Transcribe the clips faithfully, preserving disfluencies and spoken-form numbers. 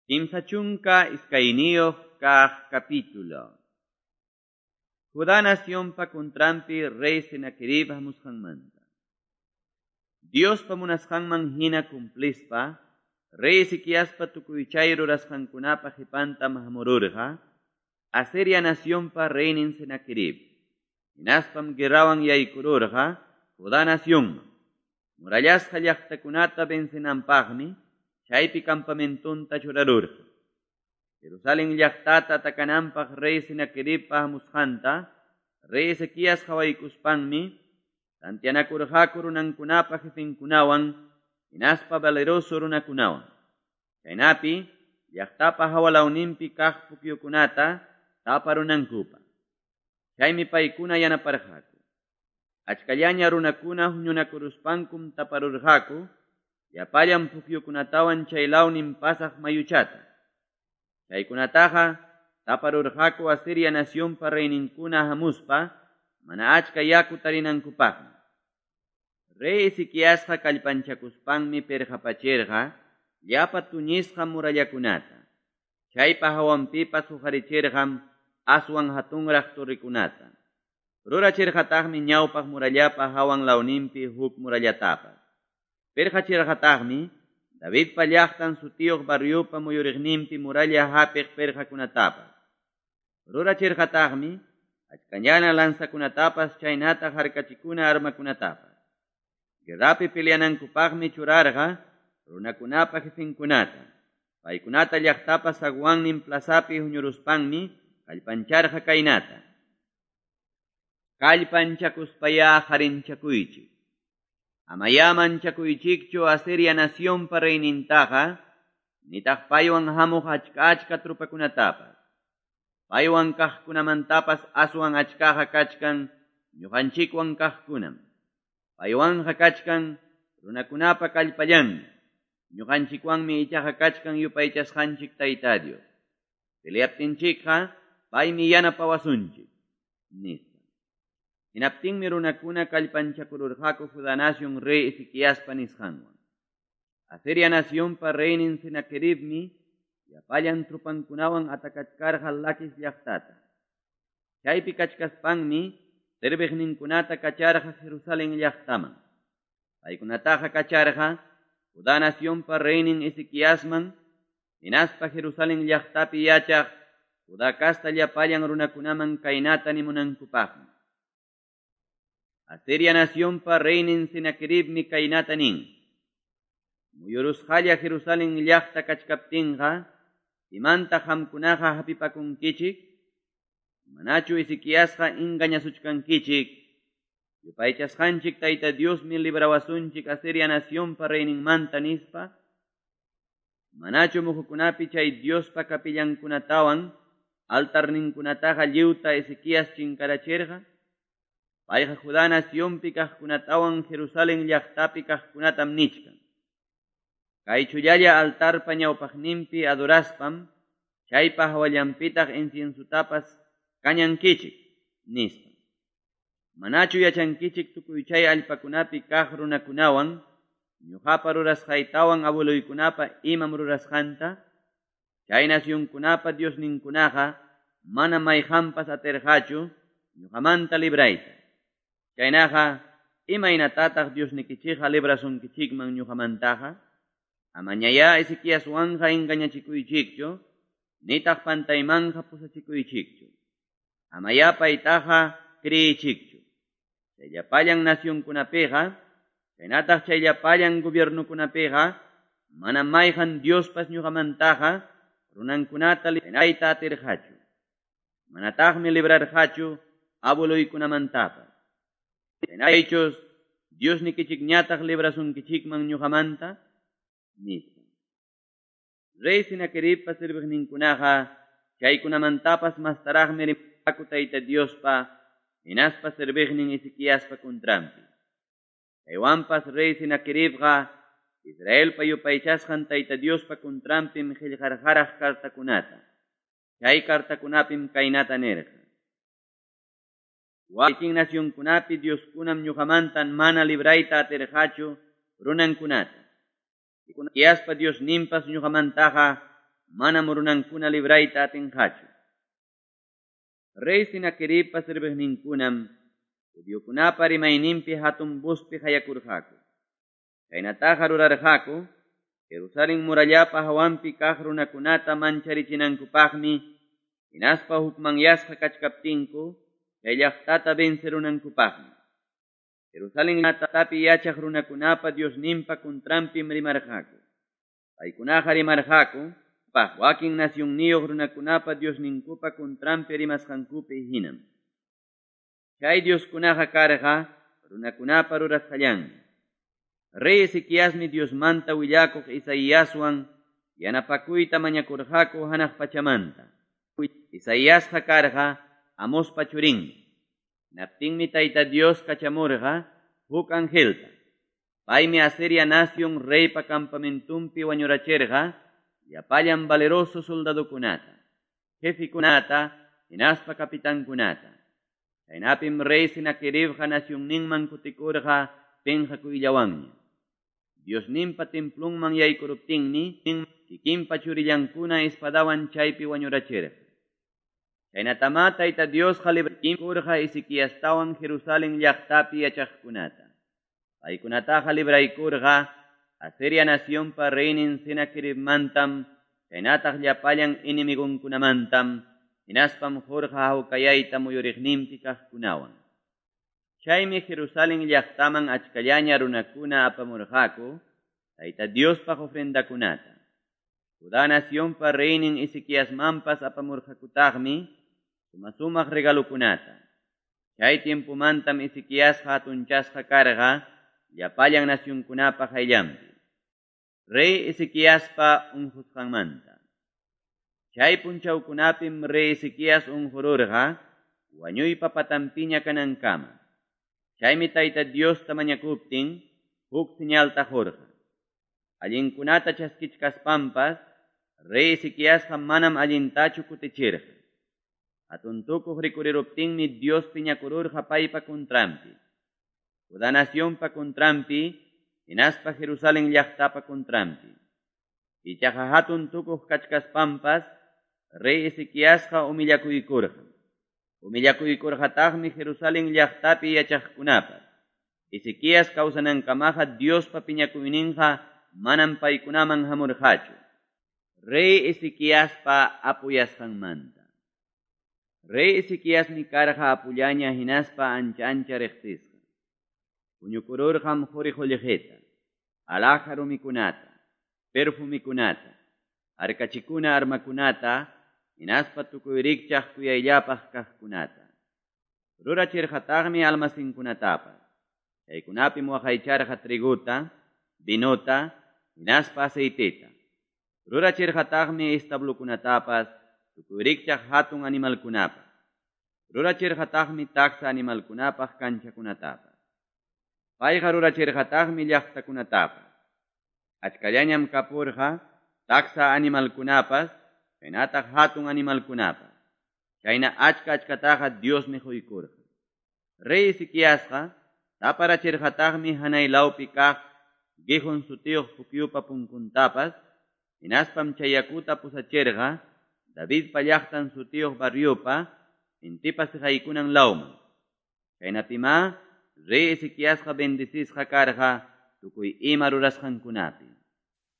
Kimsa chunka iskayniyuq kaq capítulo. Judá nacionpa contranpi rey Senaquerib hamusqanmanta. Diospa munasqanman hina cumplispa, rey Ezequiaspa tukuychay rurasqankunapa qipantam hamururqa, Asiria nacionpa reynin Senaquerib. Hinaspam guerrawan yaykururqa Judá nacionman. Murallasqa llaqtakunata vencenanpaqmi chaypi campamentonta churarurqa. Jerusalén llaqtata atakananpaq rey Senaqueribpa hamusqanta, rey Ezequías qhawaykuspanmi, tantianakurqaku runankunapa jefenkunawan, hinaspa valeroso runakunawan. Chaynapi, llaqtapa hawalawninpi kaq pukyukunata taparunankupaq. Chaymi paykuna yanaparqaku. Achkallaña runakuna huñunakuruspankum taparurqaku, llapallan pukyukunatawan chay lawnin pasaq mayuchata. Chaykunataqa taparurqaku Asiria nacionpa reyninkuna hamuspa, mana achka yaku tarinankupaqmi. Rey Ezequiasqa kallpanchakuspanmi pirqapachirqa llapa tuñisqa murallakunata. Chaypa hawanpipas huqarichirqam aswan hatunraq torrekunata. Rurachirqataqmi ñawpaq murallapa hawan lawninpi huk murallatapas. Pirqachirqataqmi Davidpa llaqtan sutiyuq barriopa muyuriqninpi muralla hapiq pirqakunatapas. Rurachirqataqmi achkañana lanzakunatapas chaynata harkachikuna armakunatapas. Guerrapi peleanankupaqmi churarqa runakunapa jefenkunata. Paykunata llaqtapa zaguannin plazapi huñuruspanmi kallpancharqa kaynata. Kallpanchakuspaya harinchakuychik. Amaya manchakuychikchu Asiria nacionpa reynintaqa, nitaq paywan hamuq achka achka trupakunatapas. Paywan kaqkunamantapas aswan achkaqa kachkan ñuqanchikwan kaqkunam. Paywanqa kachkan runakunapa kallpallanmi. Ñuqanchikwanmi ichaqa kachkan yupaychasqanchik Tayta Dios. Peleaptinchikqa paymi yanapawasunchik, nispa. Hinaptinmi runakuna kallpanchakururqaku Judá nación rey Ezequiaspa nisqanwan. Asiria nacionpa reynin Senaqueribmi llapallan trupankunawan atakachkarqa Laquis llaqtata. Chaypi kachkaspanmi serviqninkunata kacharqa Jerusalén llaqtaman. Paykunataqa kacharqa Judá nacionpa reynin Ezequiasman, hinaspa Jerusalén llaqtapi yachaq Judá kasta llapallan runakunaman kaynata nimunankupaqmi. Asiria nacionpa reynin Senaqueribmi kaynata nin. Muyurusqalla Jerusalén llaqta kachkaptinqa, imanta qamkunaqa hapipakunkichik? Manachu Ezequiasqa engañasuchkankichik? Yupaychasqanchik Tayta Diosmi librawasunchik Asiria nacionpa reyninmanta nispa? Manachu muhukunapi chay Diospa capillankunatawan altarninkunataqa lliwta Ezequías chinkarachirqa? Payqa Judá nacionpi kaqkunatawan Jerusalén llaqtapi kaqkunatam nichkan. Kay chullalla altarpa ñawpaqninpi adoraspam, chaypa hawallanpitaq inciensutapas kañankichik, nispa. Manachu yachankichik tukuy chay allpakunapi kaq runakunawan, ñuqapa rurasqaytawan abueluykunapa imam rurasqanta? Chay nacionkunapa diosninkunaqa mana mayqanpas atirqachu ñuqamanta librayta. Chaynaqa, imaynatataq Diosnikichikqa librasunkichikman ñuqamantaqa? Amañayá Ezequiaswanqa engañachikuychikchu, nitaq pantaymanqa pusachikuychikchu. Amayá paytaqa kriychikchu. Chay llapallan nacionkunapiqa, chaynataq chay llapallan gobiernukunapiqa, mana mayqan Diospas ñuqamantaqa runankunata librayta atirqachu. Manataqmi librarqachu abueluykunamantapas. Chaychus Diosnikichikñataq librasunkichikman ñuqamanta, nispa. Rey Senaqueribpa serviqninkunaqa chaykunamantapas mastaraqmi rimaku Tayta Diospa hinaspa serviqnin Ezequiaspa contranpi. Chaywanpas rey Senaqueribqa Israelpa yupaychasqan Tayta Diospa contranpim qillqarqaraq cartakunata. Chay cartakunapim kaynata nirqa. Wakin nacionkunapi Dioskunam ñuqamantan mana librayta atirqachu runankunata. Ezequiaspa Diosninpas ñuqamantaqa manam runankuna librayta atinqachu. Rey Senaqueribpa serviqninkunam judiokunapa rimayninpi hatun vozpi qayakurqaku. Chaynataqa rurarqaku Jerusalén murallapa hawanpi kaq runakunata mancharichinankupaqmi, hinaspa hukmanyasqa kachkaptinku chay llaqtata vencerunankupaqmi. Jerusalén llaqtapi yachaq runakunapa Diosninpa contranpim rimarqaku. Paykunaqa rimarqaku wakin nacionniyuq runakunapa Diosninkupa contranpi rimasqankupi hinam. Chay Dioskunaqa karqa runakunapa rurasqallanmi. Rey Ezequiasmi Diosmanta willakuq Isaiaswan yanapakuyta mañakurqaku hanaq pachamanta. Isaiasqa karqa Amospa churinmi. Naptinmi Tayta Dios kachamurqa huk angelta. Paymi Asiria nación reypa campamentumpi wañurachirqa llapallan valeroso soldadokunata, jefikunata, hinaspa capitankunata. Chaynapim rey Senaqueribqa nacionninman kutikurqa penqakuyllawanña. Diosninpa templunman yaykuruptinmi kikinpa churillankuna espadawan chaypi wañurachirqa. Chaynatama Tayta Diosqa libraykurqa Ezequiastawan Jerusalén llaqtapi yachaqkunata. Paykunataqa libraykurqa Asiria nacionpa reynin Senaqueribmantam, chaynataq llapallan enemigonkunamantam, hinaspam qurqa hawkayayta muyuriqninpi kaqkunawan. Chaymi Jerusalén llaqtaman achkallaña runakuna apamurqaku Tayta Diospaq ofrendakunata. Judá nacionpa reynin Ezequiasmanpas apamurqakutaqmi suma-sumaq regalokunata. Chay tiempomantam Ezequiasqa hatunchasqa karqa llapallan nacionkunapa qayllanpi. Rey Ezequiaspa unqusqanmanta. Chay punchawkunapim rey Ezequías unqururqa wañuypa patanpiña kanankama. Chaymi Tayta Diosta mañakuptin huk señalta qurqa. Allinkunata chaskichkaspampas rey Ezequiasqa manam allintachu kutichirqa. Hatun tukuq rikuriruptinmi Dios piñakururqa paypa contranpi. Judá nacionpa contranpi, hinaspa Jerusalén llaqtapa contranpi. Ichaqa hatun tukuq kachkaspampas rey Ezequiasqa humillakuykurqa. Humillakuykurqataqmi Jerusalén llaqtapi yachaqkunapas. Ezequías kawsanankamaqa Diospa piñakuyninqa manam paykunaman hamurqachu. Rey Ezequiaspa apuyasqanmanta. Rey Ezequiasmi karqa apullaña hinaspa ancha ancha riqsisqa. Huñukururqam quri qullqita, alhaja rumikunata, perfumikunata, harkachikuna armakunata, hinaspa tukuy rikchaq kuyayllapaq kaqkunata. Rurachirqataqmi almacenkunatapas. Chaykunapim waqaycharqa triguta, vinota, hinaspa aceiteta. Rurachirqataqmi establokunatapas, tukuy rikchaq hatun animalkunapaq. Rurachirqataqmi taksa animalkunapaq kanchakunatapas. Payqa rurachirqataqmi llaqtakunatapas. Achkallañam kapurqa taksa animalkunapas, chaynataq hatun animalkunapas. Chayna achka achkataqa Diosmi quykurqa. Rey Ezequiasqa taparachirqataqmi hanay lawpi kaq Gihon sutiyuq pukyupa punkuntapas, hinaspam chay yakuta pusachirqa Davidpa llaqtan sutiyuq barriopa intipa siqaykunan lawman. Chaynapimá rey Ezequiasqa bendecisqa karqa tukuy ima rurasqankunapi.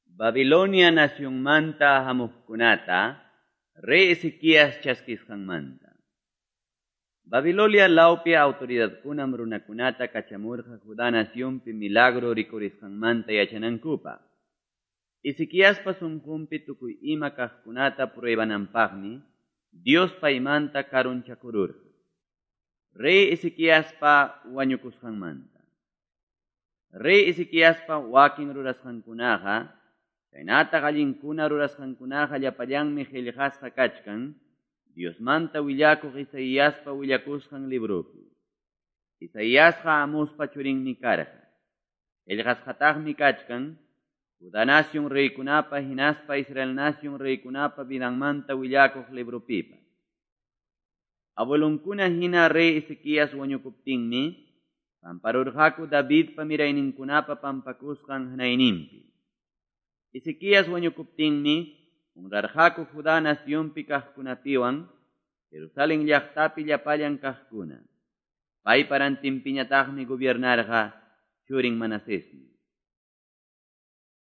Babilonia nacionmanta hamuqkunata rey Ezequías chaskisqanmanta. Babilonia lawpi autoridadkunam runakunata kachamurqa Judá nacionpi milagro rikurisqanmanta yachanankupaq. Ezequiaspa sunqunpi tukuy ima kaqkunata pruebananpaqmi Dios paymanta karunchakururqa. Rey Ezequiaspa wañukusqanmanta. Rey Ezequiaspa wakin rurasqankunaqa, chaynataq allinkuna rurasqankunaqa llapallanmi qillqasqa kachkan Diosmanta willakuq Isaiaspa willakusqan libropi. Isaiasqa Amospa churinmi karqa. Qillqasqataqmi kachkan Judá nación reykunapa hinaspa Israel nación reykunapa vidanmanta willakuq libropipas. Abuelonkuna hina rey Ezequías wañukuptinmi pamparurqaku Davidpa mirayninkunapa pampakusqan hanayninpi. Ezequías wañukuptinmi Honrarqaku Juda nacionpi kaqkunapiwan Jerusalen llaqtapi llapallan kaqkuna. Paypa rantinpiñataqmi gobiernarqa churin Manasesmi.